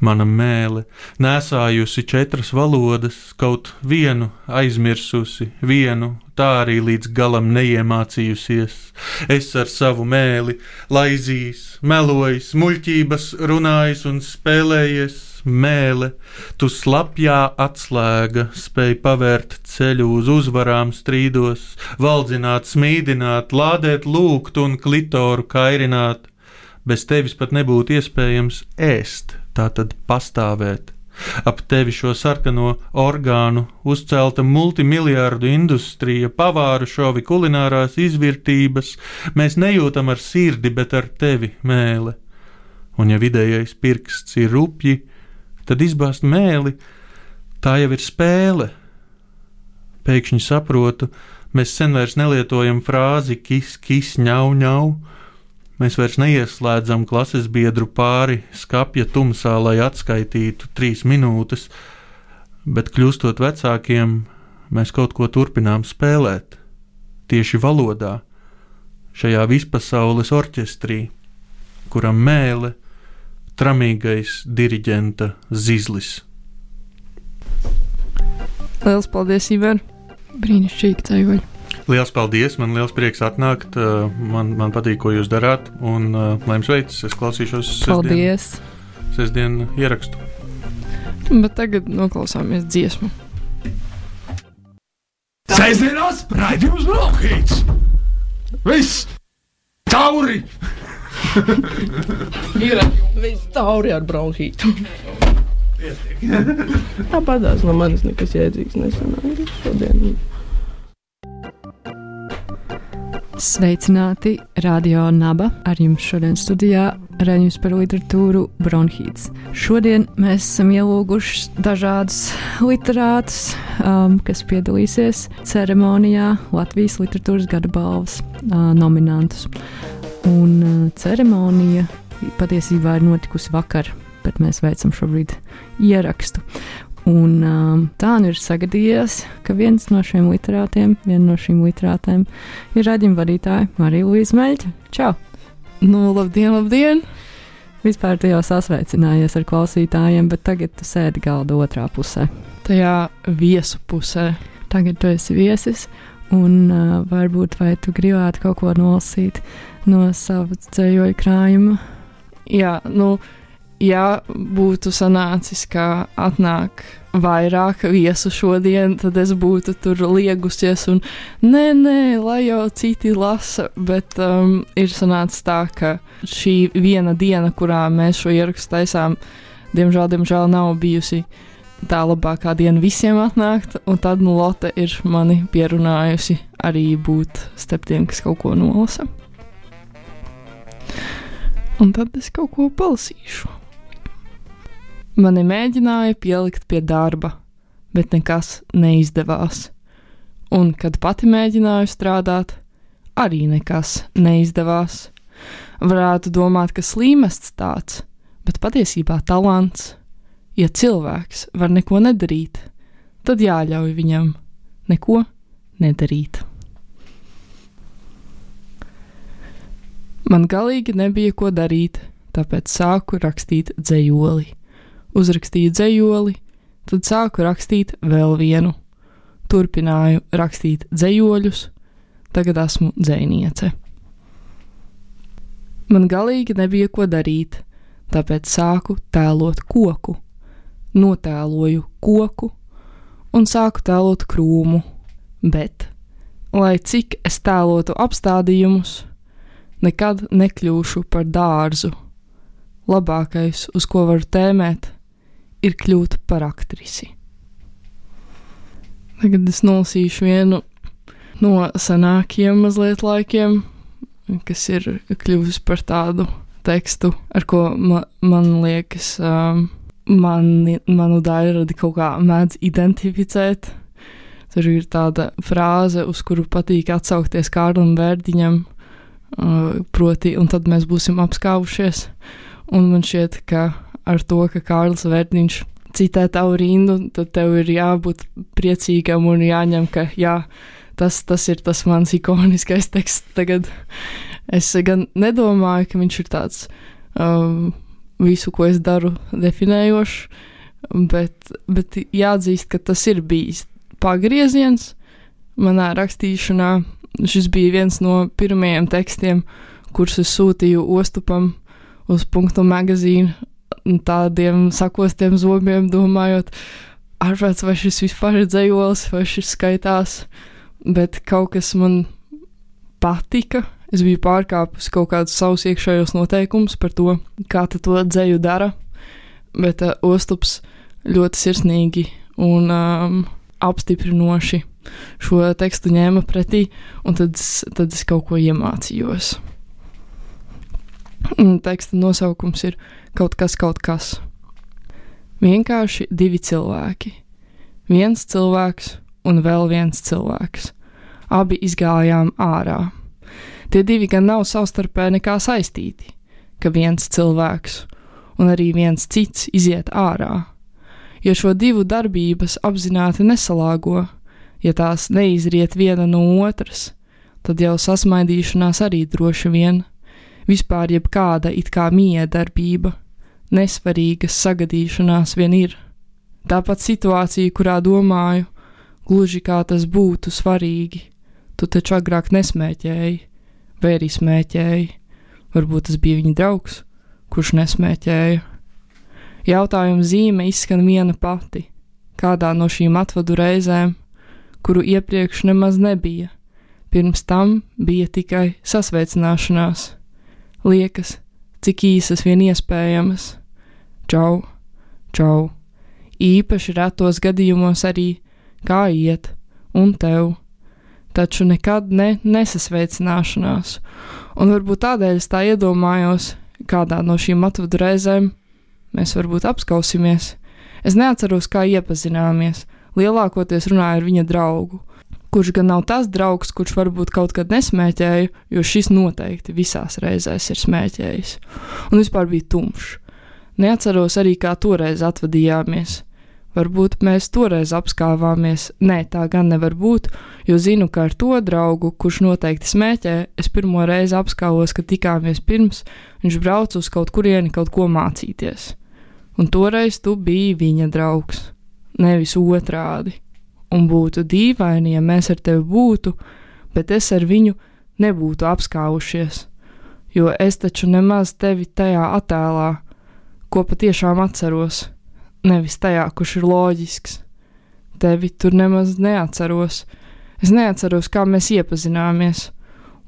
Mana mēle nesājusi 4 valodas, kaut vienu aizmirsusi, vienu tā arī līdz galam neiemācījusies. Es ar savu mēli laizījis, melojis, muļķības runājis un spēlējies. Mēle, tu slapjā atslēga, spēj pavērt ceļu uz uzvarām strīdos, valdzināt, smīdināt, lādēt lūgt un klitoru kairināt. Bez tevis pat nebūtu iespējams ēst, tātad pastāvēt. Ap tevi šo sarkano orgānu uzcelta multimiljardu industrija, pavāru šovi, kulinārās izvirtības. Mēs nejūtam ar sirdi, bet ar tevi, mēle. Un ja vidējais pirksts ir rupji, tad izbāzt mēli, tā jau ir spēle. Pēkšņi saprotu, mēs sen vairs nelietojam frāzi kis, kis, ņau, ņau. Mēs vairs neieslēdzam klases biedru pāri skapja tumsā, lai atskaitītu 3 minūtes, bet kļūstot vecākiem, mēs kaut ko turpinām spēlēt. Tieši valodā, šajā vispasaules orķestrī, kuram mēle, tramīgais diriģenta zizlis. Liels paldies, Iver! Brīnišķīgi ceļoļi! Liels paldies, man liels prieks atnākt, man patīk, ko jūs darāt, un lai jums veicas, es klausīšos sestdien ierakstu. Bet tagad noklausāmies dziesmu. Sestdienās raidījums Bronhīts! Viss! Tauri! Viss tauri ar bronhītu. Tāpatās no manis nekas jēdzīgs nesanāk šodien. Sveicināti, Radio Naba, ar jums šodien studijā raidījums par literatūru Bronhīts. Šodien mēs esam ielūguši dažādus literātus, kas piedalīsies ceremonijā Latvijas literatūras gada balvas nominantus. Un ceremonija patiesībā ir notikusi vakar, bet mēs veicam šobrīd ierakstu. Un tā nu ir sagadījies, ka viena no šīm literātēm ir raidījuma vadītāja Marija Luīza Meļķa. Čau! Nu, labdien, labdien! Vispār tu jau sasveicinājies ar klausītājiem, bet tagad tu sēdi galda otrā pusē. Tajā viesu pusē. Tagad tu esi viesis, un varbūt vai tu gribētu kaut ko nolasīt no sava dzējoļu krājuma? Jā, ja būtu sanācis, ka atnāk vairāk viesu šodien, tad es būtu tur liegusies un nē, lai jau citi lasa, bet ir sanācis tā, ka šī viena diena, kurā mēs šo ierakstu taisām, diemžēl nav bijusi tā labākā diena visiem atnākt, un tad Lotte ir mani pierunājusi arī būt starp tiem, kas kaut ko nolasa. Un tad es kaut ko palasīšu. Mani mēģināja pielikt pie darba, bet nekas neizdevās. Un, kad pati mēģināju strādāt, arī nekas neizdevās. Varētu domāt, ka slīmests tāds, bet patiesībā talants. Ja cilvēks var neko nedarīt, tad jāļauj viņam neko nedarīt. Man galīgi nebija ko darīt, tāpēc sāku rakstīt dzejoli. Uzrakstīju dzejoli, tad sāku rakstīt vēl vienu. Turpināju rakstīt dzejoļus, tagad esmu dzejniece. Man galīgi nebija ko darīt, tāpēc sāku tēlot koku. Notēloju koku un sāku tēlot krūmu, bet, lai cik es tēlotu apstādījumus, nekad nekļūšu par dārzu. Labākais, uz ko varu tēmēt, ir kļūt par aktrisi. Tagad es nolasīšu vienu no senākiem mazliet laikiem, kas ir kļuvis par tādu tekstu, ar ko man liekas, manu daļradi kaut kā mēdz identificēt. Tur ir tāda frāze, uz kuru patīk atsaukties Kārlim Vērdiņam, proti, un tad mēs būsim apskāvušies. Un man šķiet, ka ar to, ka Kārlis Vērdiņš citē tavu rindu, tad tev ir jābūt priecīgam un jāņem, ka jā, tas ir tas mans ikoniskais teksts tagad. Es gan nedomāju, ka viņš ir tāds visu, ko es daru, definējošs, bet jāatzīst, ka tas ir bijis pagrieziens manā rakstīšanā. Šis bija viens no pirmajiem tekstiem, kurus es sūtīju Ostupam uz Punktu magazīnu, tādiem sakostiem zobiem, domājot, ārprāts, vai šis vispār ir dzejolis, vai šis skaitās, bet kaut kas man patika. Es biju pārkāpusi kaut kādus savus iekšējos noteikumus par to, kā to dzeju dara, bet Ostups ļoti sirsnīgi un apstiprinoši šo tekstu ņēma pretī, un tad es kaut ko iemācījos. Teksta nosaukums ir Kaut kas. Vienkārši divi cilvēki. Viens cilvēks un vēl viens cilvēks. Abi izgājām ārā. Tie divi gan nav savstarpēji nekā saistīti, ka viens cilvēks un arī viens cits iziet ārā. Ja šo divu darbības apzināti nesalāgo, ja tās neizriet viena no otras, tad jau sasmaidīšanās arī droši vien, vispār jebkāda it kā miedarbība, nesvarīgas sagadīšanās vien ir. Tāpat situācija, kurā domāju, gluži kā tas būtu svarīgi, tu taču agrāk nesmēķēji, vai arī smēķēji, varbūt tas bija viņa draugs, kurš nesmēķēja. Jautājuma zīme izskan viena pati, kādā no šīm atvadu reizēm, kuru iepriekš nemaz nebija, pirms tam bija tikai sasveicināšanās, liekas, cik īsas vien iespējamas. Čau, čau, īpaši retos gadījumos arī, kā iet, un tev, taču nekad nesasveicināšanās, un varbūt tādēļ es tā iedomājos, kādā no šīm atvadu reizēm mēs varbūt apskausimies. Es neatceros, kā iepazināmies, lielākoties runāju ar viņa draugu, kurš gan nav tas draugs, kurš varbūt kaut kad nesmēķēja, jo šis noteikti visās reizēs ir smēķējis, un vispār bija tumšs. Neatceros arī, kā toreiz atvadījāmies. Varbūt mēs toreiz apskāvāmies, nē, tā gan nevar būt, jo zinu, ka ar to draugu, kurš noteikti smēķē, es pirmo reizi apskāvos, kad tikāmies pirms, viņš brauc uz kaut kurieni kaut ko mācīties. Un toreiz tu biji viņa draugs, nevis otrādi. un būtu dīvaini, ja mēs ar tevi būtu, bet es ar viņu nebūtu apskāvušies, jo es taču nemaz tevi tajā attēlā, ko patiešām atceros, nevis tajā, kurš ir loģisks. Tevi tur nemaz neatceros. Es neatceros, kā mēs iepazināmies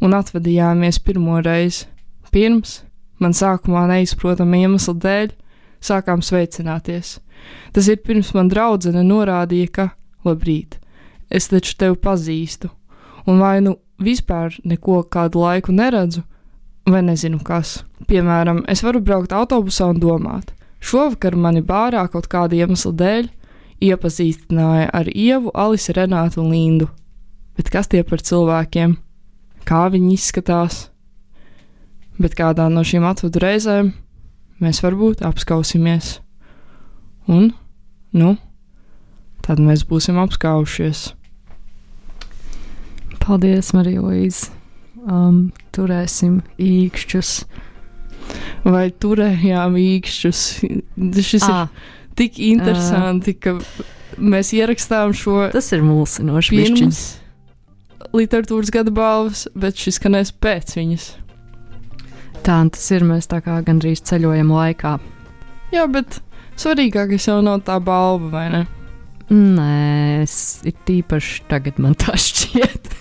un atvadījāmies pirmo reizi. Pirms man sākumā neizprotama iemesla dēļ sākām sveicināties. Tas ir pirms man draudzene norādīja, ka, labrīt, es taču tevi pazīstu, un vai nu vispār neko kādu laiku neredzu, vai nezinu kas. Piemēram, es varu braukt autobusā un domāt, šovakar mani bārā kaut kāda iemesla dēļ iepazīstināja ar Ievu, Alisi, Renātu un Lindu. Bet kas tie par cilvēkiem? Kā viņi izskatās? Bet kādā no šīm atvadu reizēm mēs varbūt apskausimies. Un, tad mēs būsim apskaušies. Paldies, Marija Luīze. Turēsim īkšķus. Vai turējām īkšķus? Šis ir tik interesanti, ka mēs ierakstām šo. Tas ir mulsinoši pirms literatūras gada balvas, bet šis skanēs pēc viņas. Tā, un tas ir, mēs tā kā gandrīz ceļojam laikā. Jā, bet svarīgākais jau nav tā balva, vai ne? Nē, ir tīpaši tagad man tā šķiet.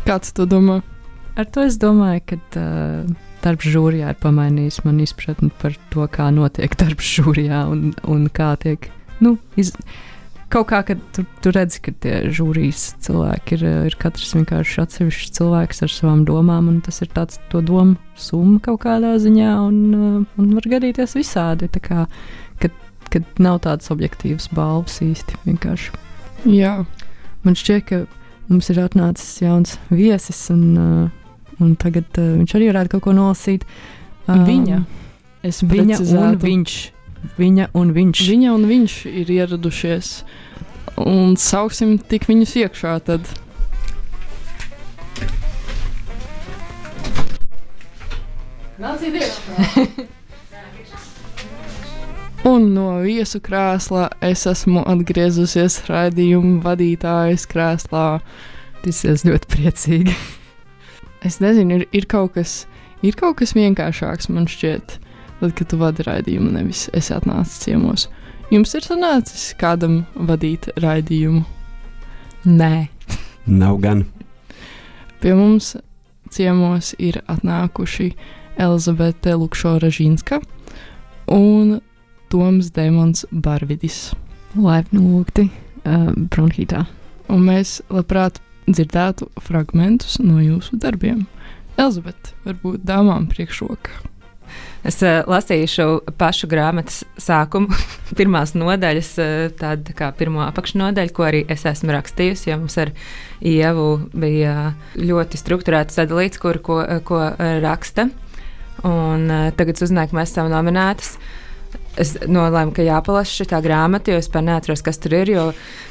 Kā tu to domā? Ar to es domāju, ka darbs žūrijā ir pamainījis man izpratni par to, kā notiek darbs žūrijā un kā tiek, kaut kā, kad tu redzi, ka tie žūrijas cilvēki ir katrs vienkārši atsevišķs cilvēks ar savām domām, un tas ir tāds to domu summa kaut kādā ziņā, un var gadīties visādi, tā kā, kad nav tādas objektīvas balvas īsti vienkārši. Jā. Man šķiet, ka mums ir atnācis jauns viesis, un tagad viņš arī varētu kaut ko nolasīt. Viņa. Es precizētu. Viņa un viņš. Viņa un viņš ir ieradušies, un sauksim tik viņus iekšā tad. Nāciet iekšā! Un no viesu krēslā es esmu atgriezusies raidījuma vadītājas krēslā. Tas ir ļoti priecīgi. Es nezinu, ir kaut kas vienkāršāks, man šķiet. Tad, kad tu vadi raidījumu, nevis esi atnācis ciemos. Jums ir sanācis kādam vadīt raidījumu? Nē. Nav gan. Pie mums ciemos ir atnākuši Elizabete Lukšo-Ražinska un Toms Demons Barvidis. Laipni lūgti Bronhītā. Un mēs labprāt dzirdētu fragmentus no jūsu darbiem. Elizabete, varbūt dāmām priekšroka. Es lasīšu pašu grāmatas sākumu, pirmās nodaļas, tāda kā pirmo apakšnodaļu, ko arī es esmu rakstījusi, jo mums ar Ievu bija ļoti strukturēts sadalīts, ko raksta. Un tagad uzzināju, ka mēs esam nominētas. Es nolēmu, ka jāpalasa šitā grāmata, jo es par neatceros, kas tur ir, jo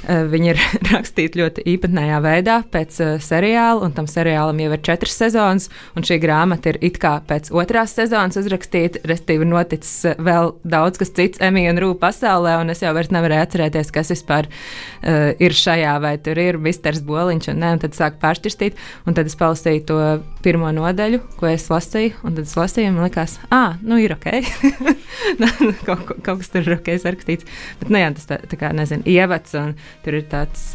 viņi ir rakstīti ļoti īpatnējā veidā pēc seriāla, un tam seriālam jau ir 4 sezonas, un šī grāmata ir it kā pēc 2. sezonas uzrakstīta, respektīvi noticis vēl daudz kas cits Emija un Rū pasaulē, un es jau vairs nevarēju atcerēties, kas vispār ir šajā, vai tur ir misters Boliņš, un tad sāku pāršķirstīt, un tad es palasīju to pirmo nodaļu, ko es lasīju, un tad es lasīju, un man likās, ir ok. Kaut kas tur ir ok sarakstīts. Bet, jā, tas tā kā, nezinu, ievads, un tur ir tāds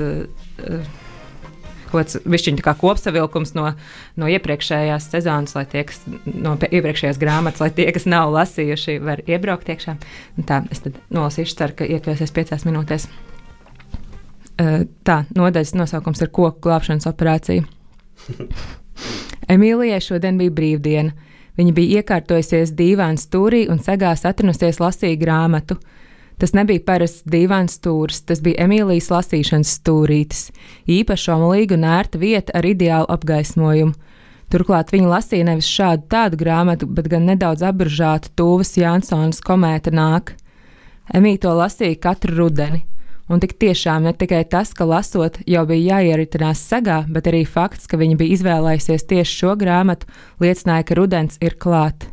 kaut kāds višķiņ tā kā kopsavilkums no iepriekšējās sezonas, lai tie, kas no iepriekšējās grāmatas, lai tie, kas nav lasījuši, var iebraukt iekšā. Un tā, es tad nolasīšu, ceru, ka iekļausies 5 minūtēs. Tā, nodaļas nosaukums ir koku glābšanas operācija. Emīlijai šodien bija brīvdiena. Viņa bija iekārtojusies dīvāna stūrī un segās atrinusies lasīja grāmatu. Tas nebija parasts dīvāna stūris, tas bija Emīlijas lasīšanas stūrītis, īpaša omulīga un ērta vieta ar ideālu apgaismojumu. Turklāt viņa lasīja nevis šādu tādu grāmatu, bet gan nedaudz apburžātu Tūvas Jansonas Komēta nāk. Emīja to lasīja katru rudeni. Un tik tiešām ne tikai tas, ka lasot jau bija jāieritinās segā, bet arī fakts, ka viņa bija izvēlējusies tieši šo grāmatu, liecināja, ka rudens ir klāt.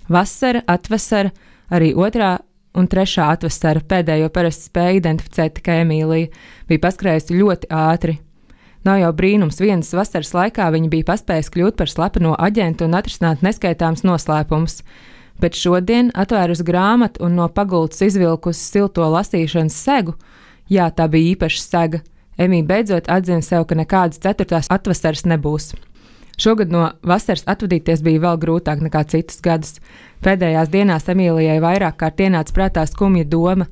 Vasara, atvasara, arī otrā un trešā atvasara. Pēdējo parasti spēja identificēt tikai Emīlija. Bija paskrējusi ļoti ātri. Nav jau brīnums, vienas vasaras laikā viņa bija paspējusi kļūt par slepeno aģentu un atrisināt neskaitāms noslēpumus. Bet šodien, atvērusi grāmatu un no pagultas izvilkusi silto lasīšanas segu, jā, tā bija īpaša sega, Emīja beidzot atzina sev, ka nekādas 4. atvasaras nebūs. Šogad no vasaras atvadīties bija vēl grūtāk nekā citus gadus. Pēdējās dienās Emīlijai vairāk kārt ienāca prātā skumja doma.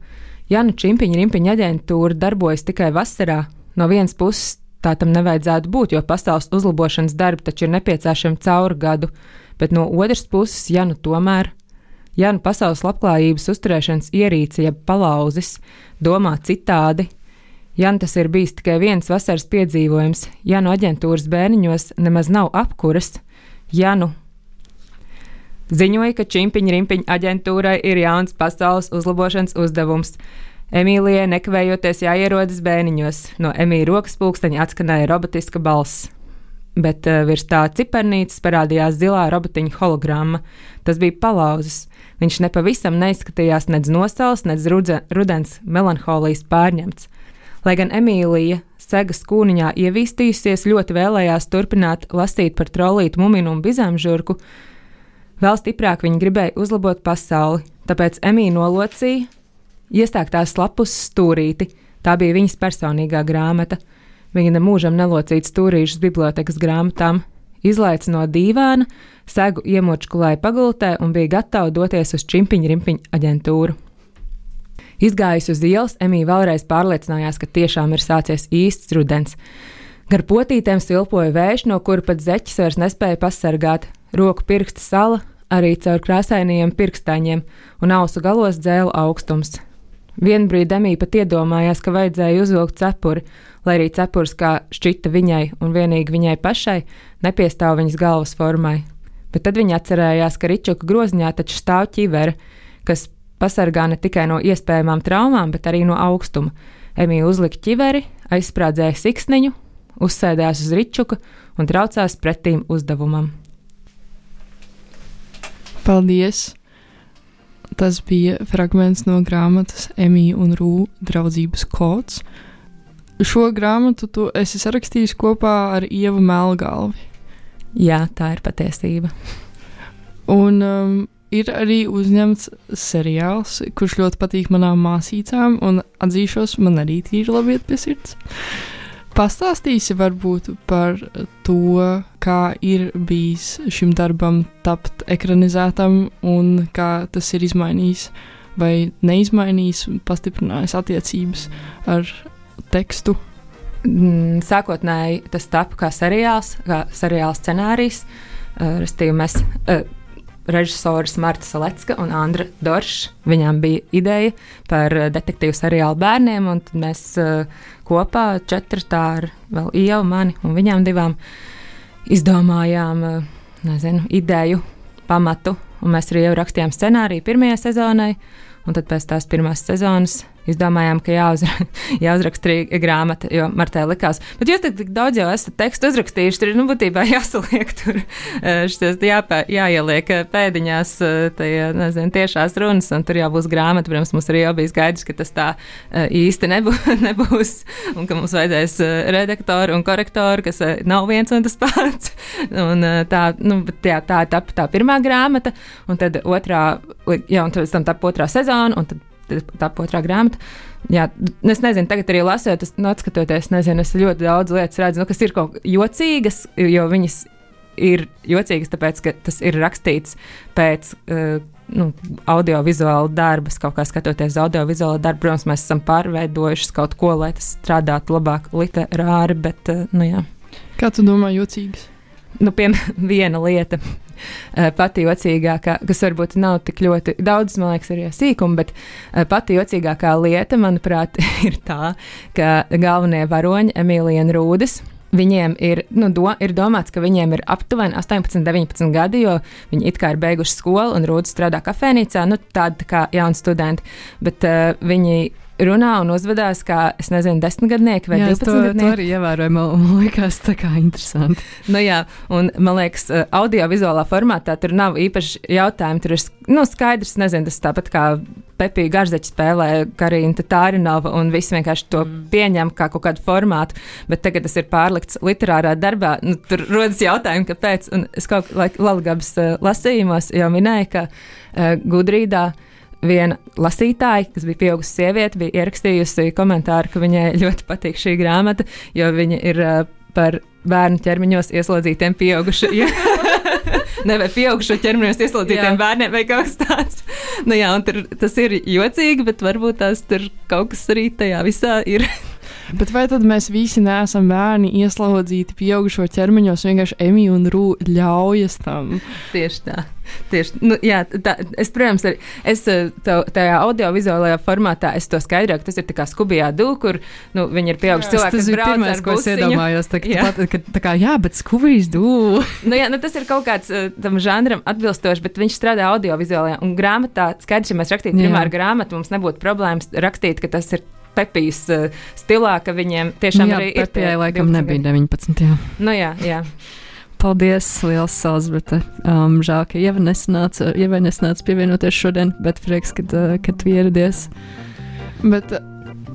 Ja nu Čimpiņa Rimpiņa aģentūra darbojas tikai vasarā, no vienas puses tā tam nevajadzētu būt, jo pasaules uzlabošanas darbi taču ir nepieciešami cauri gadu, bet no otras puses, ja nu tomēr, ja nu pasaules labklājības uzturēšanas ierīce, jeb palauzis, domā citādi, ja nu tas ir bijis tikai viens vasaras piedzīvojums, ja nu aģentūras bērniņos nemaz nav apkuras, ja nu ziņoja, ka Čimpiņa Rimpiņa aģentūrai ir jauns pasaules uzlabošanas uzdevums. Emīlijai nekavējoties jāierodas bērniņos. No Emīļa rokas pulksteņa atskanēja robotiska balss. Bet virs tā cipernītes parādījās zilā robotiņa hologramma. Tas bija palauzis. Viņš nepavisam neizskatījās nedz nosals, nedz rudens melanholijas pārņemts. Lai gan Emīlija segas kūniņā ievīstījusies, ļoti vēlējās turpināt lasīt par trolītu Muminu un Bizāmžurku, vēl stiprāk viņa gribēja uzlabot pasauli, tāpēc Emīļa nolocīja iestāktās lapuses stūrīti. Tā bija viņas personīgā grāmata. Viņa nemūžam nelocīja stūrīšus bibliotekas grāmatām, izlaica no dīvāna, segu iemočkulēja pagultē un bija gatava doties uz Čimpiņa Rimpiņa aģentūru. Izgājusi uz ielas, Emīļa vēlreiz pārliecinājās, ka tiešām ir sācies īsts rudens. Gar potītēm silpoja vējš, no kura pat zeķis vairs nespēja pasargāt. Roku pirksta sala arī caur krāsainajiem pirkstaņiem, un ausu galos dzēla augstums. Vienbrīd Emīļa pat iedomājās, ka vajadzēja uzvilkt cepuri, lai arī cepurs, kā šķita viņai un vienīgi viņai pašai, nepiestāv viņas galvas formai. Bet tad viņa atcerējās, ka ričuka groziņā taču stāv ķivere, kas pasargā ne tikai no iespējamām traumām, bet arī no augstuma. Emīļa uzlika ķiveri, aizsprādzēja siksniņu, uzsēdās uz ričuka un traucās pretīm uzdevumam. Paldies! Tas bija fragments no grāmatas Emīļa un Rū draudzības kods. Šo grāmatu tu esi sarakstījis kopā ar Ievu Melgalvi. Jā, tā ir patiesība. Un ir arī uzņemts seriāls, kurš ļoti patīk manām māsīcām, un atzīšos, man arī tīri labi iet pie sirds. Pastāstīsi varbūt par to, kā ir bijis šim darbam tapt ekranizētam un kā tas ir izmainījis vai neizmainījis, pastiprinājis attiecības ar tekstu. Sākotnēji tas tapu kā seriāls scenārijs. Restīvi mēs režisoris Marta Salecka un Andra Dorša. Viņām bija ideja par detektīvu seriālu bērniem, un tad mēs kopā 4 tā ar vēl Ievu, mani un viņām 2 izdomājām, ideju, pamatu, un mēs arī jau rakstījām scenāriju 1. sezonai, un tad pēc tās 1. sezonas izdomājām, ka jāuzraksta arī grāmata, jo Martai likās, bet jūs tik daudz jau esat tekstu uzrakstījuši, tur ir, būtībā jāsaliek tur, šies jāieliek pēdiņās, tiešās runas, un tur jau būs grāmata, protams, mums arī jau bija skaidrs, ka tas tā īsti nebūs, un ka mums vajadzēs redaktoru un korektoru, kas nav viens un tas pats, un tā tapa tā pirmā grāmata, un tad un pēc tam tapa 2. sezona, un tad tapa 2. grāmata. Jā, es nezinu, tagad arī lasot, atskatoties, es ļoti daudz lietas redzu, kas ir kaut jocīgas, jo viņas ir jocīgas, tāpēc, ka tas ir rakstīts pēc audiovizuāla darbas, kaut kā skatoties audiovizuāla darbu. Protams, mēs esam pārveidojuši kaut ko, lai tas strādātu labāk literāri, bet, jā. Kā tu domā jocīgas? Viena lieta. Pati jocīgākā, kas varbūt nav tik ļoti daudz, man liekas, arī sīkuma, bet pati jocīgākā lieta, manuprāt, ir tā, ka galvenie varoņi, Emīlija un Rūdis, viņiem ir domāts, ka viņiem ir aptuveni 18, 19 gadi, jo viņi it kā ir beiguši skolu un Rūdis strādā kafēnīcā, tādi kā jauni studenti, bet viņi runā un uzvedās kā, es nezinu, 10-gadnieki vai 12-gadnieki. To arī ievēroju, man liekas, tā kā interesanti. Nu jā, un man liekas, audiovizuālā formātā tur nav īpaši jautājumi, tur ir, skaidrs, nezinu, tas tāpat kā Pepija Garzeķa spēlē Karina Tatārinova un visi vienkārši to pieņem kā kaut kādu formātu, bet tagad tas ir pārlikts literārā darbā, tur rodas jautājumi, kāpēc, un es kaut Lalgabas lasījumos jau minēju, ka Gudrīdā viena lasītāja, kas bija pieaugusi sieviete, bija ierakstījusi komentāru, ka viņai ļoti patīk šī grāmata, jo viņa ir par bērnu ķermeņos ieslodzītiem pieaugušajiem. Vai pieaugušo ķermeņos ieslodzītiem bērniem vai kaut kas tāds. Nu jā, un tas ir jocīgi, bet varbūt tās tur kaut kas arī tajā visā ir. Bet vai tad mēs visi neesam bērni ieslodzīti pieaugušo ķermeņos, vienkārši Emija un Rū ļaujas tam? Tieši tā. Jā, protams, tajā audiovizuālajā formātā es to skaidroju, ka tas ir tā kā Skubijā-Dū, kur viņi ir pieauguši cilvēki, kas brauc ar busiņu. Tas bija pirmais, ko es iedomājos, bet Skubijas-Dū. Tas ir kaut kāds tam žanram atbilstoši, bet viņš strādā audiovizuālajā, un grāmatā, skaidrs, ja mēs rakstītu primāru grāmatu, mums nebūtu problēmas rakstīt, ka tas ir Pepijas stilā, ka viņiem tiešām arī ir. Pepijai laikam nebija 19, jā. Jā. Paldies, liels Elzbiete. Žēl, ka Ieva nesnāca pievienoties šodien, bet prieks, kad tu ieradies. Bet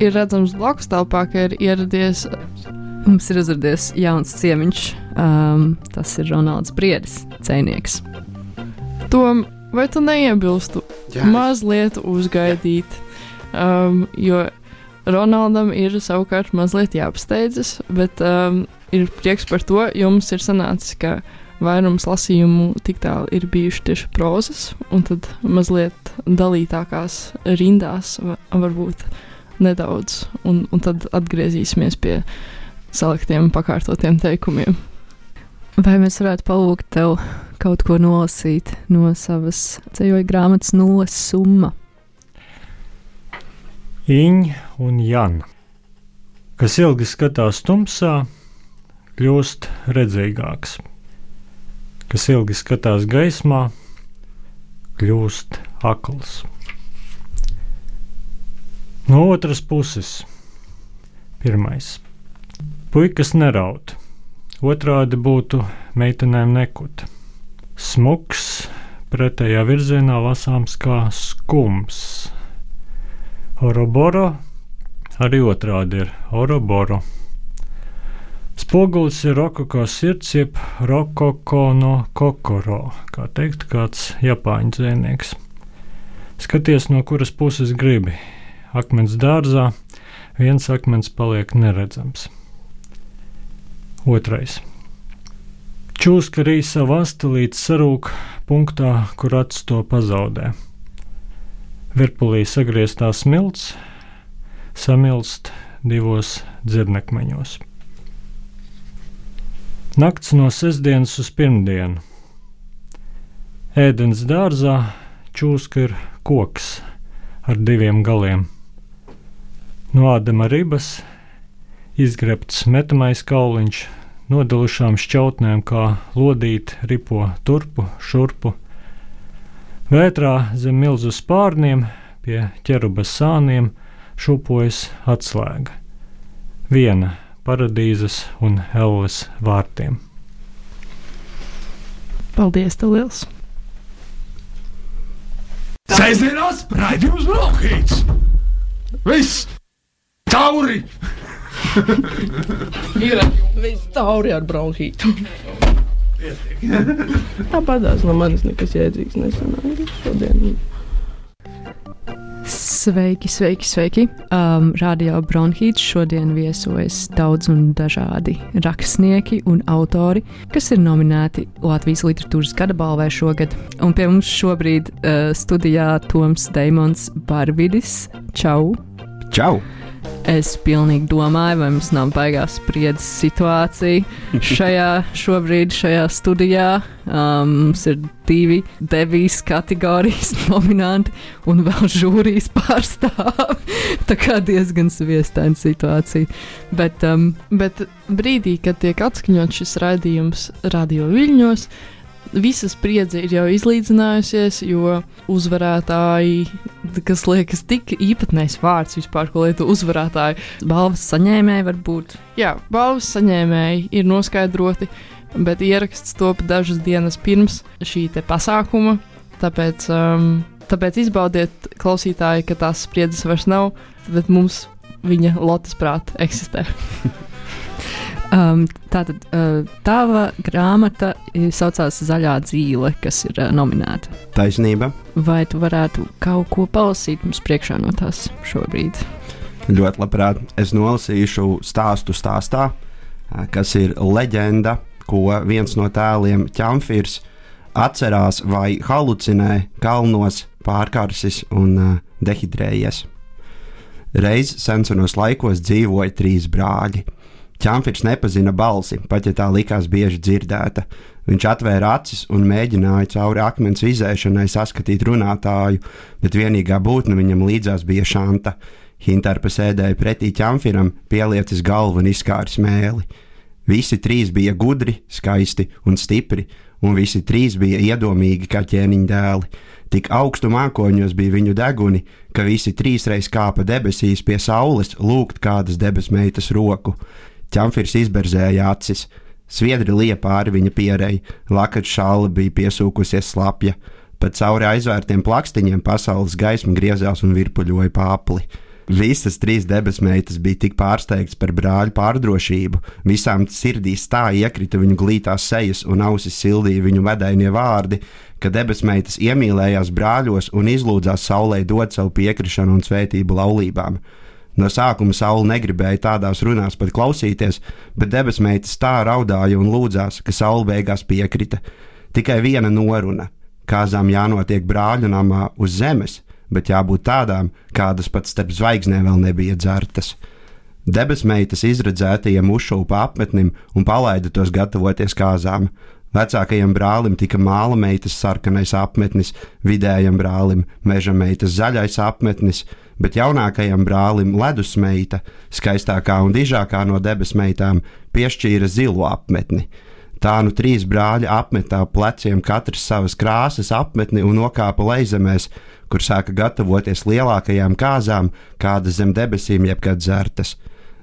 ir redzams blakus telpā, ka ir ieradies. Mums ir uzradies jauns ciemiņš. Tas ir Ronalds Briedis, dzejnieks. Tom, vai tu neiebilstu mazliet uzgaidīt? Jo Ronaldam ir savukārt mazliet jāpasteidzas, bet ir prieks par to, jo mums ir sanācis, ka vairums lasījumu tik tālu ir bijuši tieši prozas, un tad mazliet dalītākās rindās varbūt nedaudz, un tad atgriezīsimies pie saliktiem pakārtotiem teikumiem. Vai mēs varētu palūgt tev kaut ko nolasīt no savas ceļoja grāmatas Nulles summa? Iņ un Jan, kas ilgi skatās tumsā, kļūst redzīgāks, kas ilgi skatās gaismā, kļūst akls. No otras puses, pirmais. Puikas neraud, otrādi būtu meitenēm nekut. Smuks, pretējā virzienā lasāms kā skums. Oroboro, arī otrādi ir oroboro. Spogulis ir rokoko sirds, jeb rokoko no kokoro, kā teikt kāds japāņu dzejnieks. Skaties, no kuras puses gribi. Akmens dārzā, viens akmens paliek neredzams. Otrais. Čūska arī savu asti līdz sarūk punktā, kur acis to pazaudē. Virpulī sagrieztā smilts samilst divos dzirnekmeņos. Nakts no sestdienas uz pirmdienu. Ēdens dārzā čūska ir koks ar diviem galiem. No ādama ribas izgrebts metamais kauliņš, nodalušām šķautnēm kā lodīt ripo turpu, šurpu. Vētrā zem milzu spārniem pie ķerubas sāniem šūpojas atslēga. Viena paradīzes un elles vārtiem. Paldies, tev liels! Sēsdienās raidījums Bronhīts! Viss! Tauri! Ir viss tauri ar bronhītu. Tāpatās no manis nekas jēdzīgs nesanāk šodien. Sveiki! Radio Bronhīts šodien viesojas daudz un dažādi rakstnieki un autori, kas ir nominēti Latvijas literatūras gada balvai šogad. Un pie mums šobrīd studijā Toms Deimons Barvidis. Čau! Čau! Es pilnīgi domāju, vai mums nav baigās spriedzes situācija šajā studijā. Mums ir 2 devijas kategorijas nominanti un vēl žūrijas pārstāvi. Tā kā diezgan sviestaina situācija. Bet brīdī, kad tiek atskaņot šis raidījums Radio Viļņos, visa spriedze ir jau izlīdzinājusies, jo uzvarētāji, kas liekas tik īpatnējs vārds vispār, ko lietu uzvarētāji. Balvas saņēmēji varbūt. Jā, balvas saņēmēji ir noskaidroti, bet ieraksts top dažas dienas pirms šī te pasākuma, tāpēc izbaudiet, klausītāji, ka tās spriedzes vairs nav, bet mums viņa lotes prāt eksistē. Tātad tava grāmata saucās Zaļā dzīle, kas ir nominēta. Taisnība. Vai tu varētu kaut ko palasīt mums priekšā no tās šobrīd? Ļoti labprāt. Es nolasīšu stāstu stāstā, kas ir leģenda, ko viens no tēliem Ķamfirs atcerās vai halucinē kalnos pārkarsis un dehidrējies. Reiz senos laikos dzīvoja 3 brāļi. Ķamfirs nepazina balsi, pat ja tā likās bieži dzirdēta. Viņš atvēra acis un mēģināja cauri akmens izēšanai saskatīt runātāju, bet vienīgā būtne viņam līdzās bija Šanta. Hintarpa sēdēja pretī Ķamfiram, pieliecis galvu un izkāris mēli. Visi 3 bija gudri, skaisti un stipri, un visi 3 bija iedomīgi kā ķēniņa dēli. Tik augstu mākoņos bija viņu deguni, ka visi 3 reiz kāpa debesīs pie saules lūgt kādas debesmeitas roku. Ķamfirs izberzēja acis, sviedri lija pāri viņa pierei, lakača šāla bija piesūkusies slapja, pat cauri aizvērtiem plakstiņiem pasaules gaisma griezās un virpuļoja pāpli. Visas 3 debesmeitas bija tik pārsteigtas par brāļu pārdrošību, visām sirdīs tā iekrita viņu glītās sejas un ausis sildīja viņu medainie vārdi, ka debesmeitas iemīlējās brāļos un izlūdzās saulei dot savu piekrišanu un svētību laulībām. No sākuma saule negribēja tādās runās pat klausīties, bet debesmeitas tā raudāja un lūdzās, ka saule beigās piekrita. Tikai viena noruna – kāzām jānotiek brāļu namā uz zemes, bet jābūt tādām, kādas pat starp zvaigznēm vēl nebija dzertas. Debesmeitas izredzētajiem uzšūpa apmetnim un palaida tos gatavoties kāzām. Vecākajam brālim tika māla meitas sarkanais apmetnis, vidējam brālim meža meitas zaļais apmetnis, bet jaunākajam brālim ledusmeita, skaistākā un dižākā no debesmeitām, piešķīra zilu apmetni. Tā nu 3 brāļi apmetā pleciem katrs savas krāsas apmetni un nokāpa lejzemēs, kur sāka gatavoties lielākajām kāzām, kādas zem debesīm jebkad dzertas.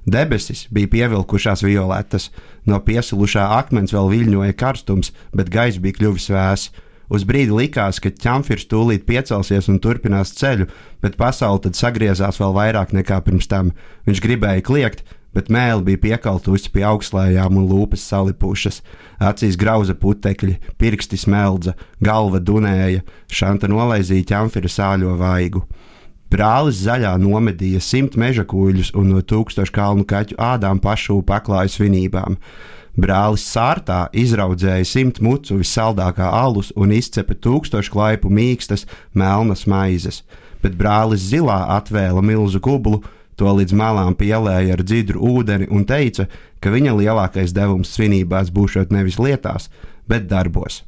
Debesis bija pievilkušās violetas, no piesilušā akmens vēl viļņoja karstums, bet gaiss bija kļuvis vēss. Uz brīdi likās, ka Ķamfirs tūlīt piecelsies un turpinās ceļu, bet pasaule tad sagriezās vēl vairāk nekā pirms tam. Viņš gribēja kliegt, bet mēli bija piekaltusi pie augslējām un lūpas salipušas. Acīs grauza putekļi, pirksti smeldza, galva dunēja, Šanta nolaizīja Ķamfira sāļo vaigu. Brālis zaļā nomedīja 100 meža kuļus un no 1000 kalnu kaķu ādām pašu paklāja svinībām. Brālis sārtā izraudzēja 100 mucu vissaldākā alus un izcepa 1000 klaipu mīkstas melnas maizes, bet brālis zilā atvēla milzu kublu, to līdz malām pielēja ar dzidru ūdeni un teica, ka viņa lielākais devums svinībās būšot nevis lietās, bet darbos.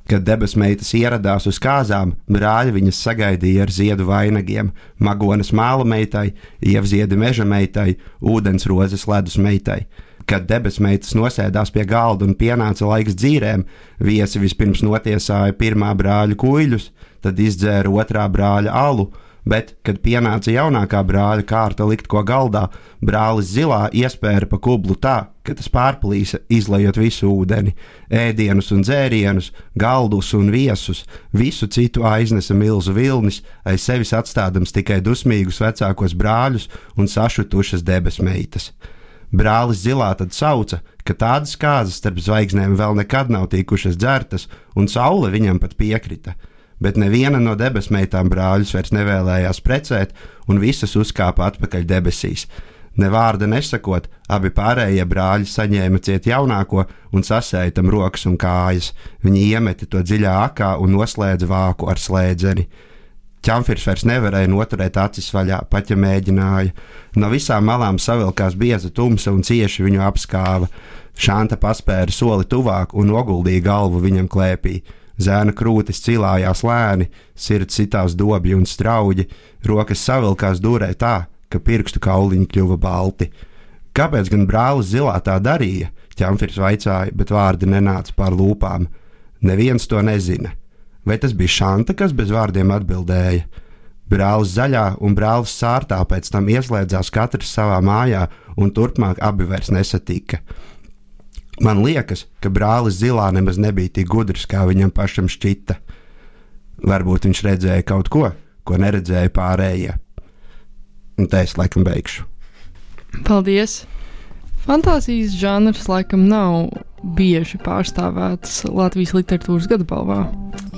Kad debesmeitas ieradās uz kāzām, brāļi viņas sagaidīja ar ziedu vainagiem, magonas māla meitai, ievziedi meža meitai, ūdensrozes ledus meitai. Kad debesmeitas nosēdās pie galda un pienāca laiks dzīrēm, viesi vispirms notiesāja pirmā brāļa kuļus, tad izdzēra otrā brāļa alu, bet, kad pienāca jaunākā brāļa kārta likt ko galdā, brālis zilā iespēra pa kublu tā, ka tas pārplīsa, izlejot visu ūdeni, ēdienus un dzērienus, galdus un viesus, visu citu aiznesa milzu vilnis, aiz sevis atstādams tikai dusmīgus vecākos brāļus un sašutušas debesmeitas. Brālis zilā tad sauca, ka tādas kāzas starp zvaigznēm vēl nekad nav tikušas dzertas, un saule viņam pat piekrita. Bet neviena no debesmeitām brāļus vairs nevēlējās precēt, un visas uzkāpa atpakaļ debesīs. Ne vārda nesakot, abi pārējie brāļi saņēma ciet jaunāko un sasēja tam rokas un kājas. Viņi iemeta to dziļā akā un noslēdza vāku ar slēdzeni. Ķamfirs vairs nevarēja noturēt acis vaļā, pat ja mēģināja. No visām malām savilkās bieza tumsa un cieši viņu apskāva. Šanta paspēra soli tuvāk un noguldīja galvu viņam klēpī. Zēna krūtis cilājās lēni, sirds sitās dobji un strauji, rokas savilkās dūrē tā, ka pirkstu kauliņi kļuva balti. Kāpēc gan brālis zilā tā darīja? Ķamfirs vaicāja, bet vārdi nenāca pār lūpām. Neviens to nezina. Vai tas bija Šanta, kas bez vārdiem atbildēja? Brālis zaļā un brālis sārtā pēc tam ieslēdzās katrs savā mājā, un turpmāk abi vairs nesatika. Man liekas, ka brālis zilā nemaz nebija tik gudrs, kā viņam pašam šķita. Varbūt viņš redzēja kaut ko, ko neredzēja pārējie. Un te es laikam beigšu. Paldies! Fantāzijas žanrs laikam nav bieži pārstāvēts Latvijas literatūras gada balvā.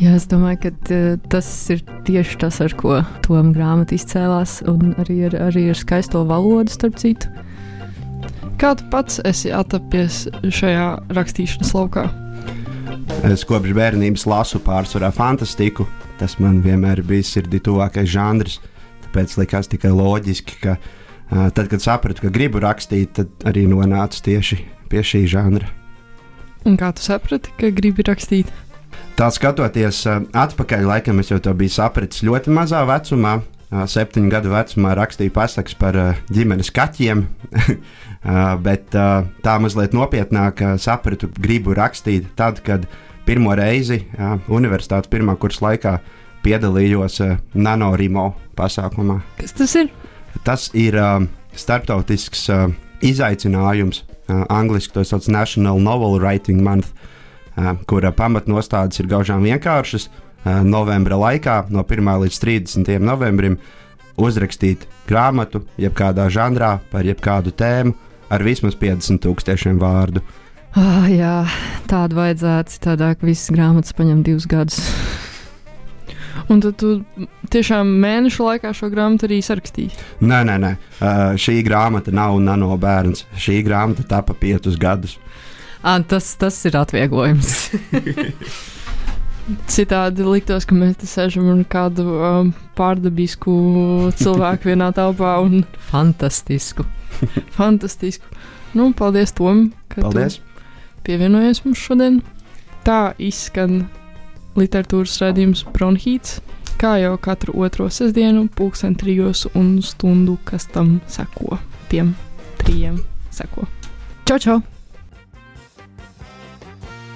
Jā, es domāju, ka tas ir tieši tas, ar ko Toma grāmata izcēlās, un arī ar skaisto valodu, starp citu. Kā tu pats esi atrapies šajā rakstīšanas laukā? Es kopš bērnības lasu pārsvarā fantastiku. Tas man vienmēr ir bijis sirdī tuvākais žanrs, tāpēc likās tikai loģiski, ka tad, kad sapratu, ka gribu rakstīt, tad arī nonācu tieši pie šī žanra. Un kā tu saprati, ka gribi rakstīt? Tā skatoties atpakaļ, laikam es jau to biju sapratis ļoti mazā vecumā. 7 gadu vecumā rakstīju pasakas par ģimenes kaķiem, bet tā mazliet nopietnāk sapratu, gribu rakstīt tad, kad pirmo reizi universitātes pirmā kursa laikā piedalījos NaNoWriMo pasākumā. Kas tas ir? Tas ir starptautisks izaicinājums, angliski to sauc National Novel Writing Month, kura pamatnostādes ir gaužām vienkāršas. Novembra laikā, no 1. līdz 30. novembrim, uzrakstīt grāmatu, jebkādā žanrā, par jebkādu tēmu, ar vismaz 50,000 vārdu. Jā, tādu vajadzētu, citādāk visas grāmatas paņem 2 gadus. Un tad tu tiešām mēnešu laikā šo grāmatu arī sarakstīji? Nē. Šī grāmata nav nano bērns. Šī grāmata tapa 5 gadus. Tas ir atvieglojums. Citādi liktos, ka mēs te sēžam ar kādu pārdabisku cilvēku vienā telpā. Fantastisku. Nu, paldies, Tom, ka paldies. Tu pievienojies mums šodien. Tā izskan literatūras raidījums Bronhīts, kā jau katru otro sestdienu, 3:00 un stundu, kas tam seko. Tiem 3 seko. Čau, čau!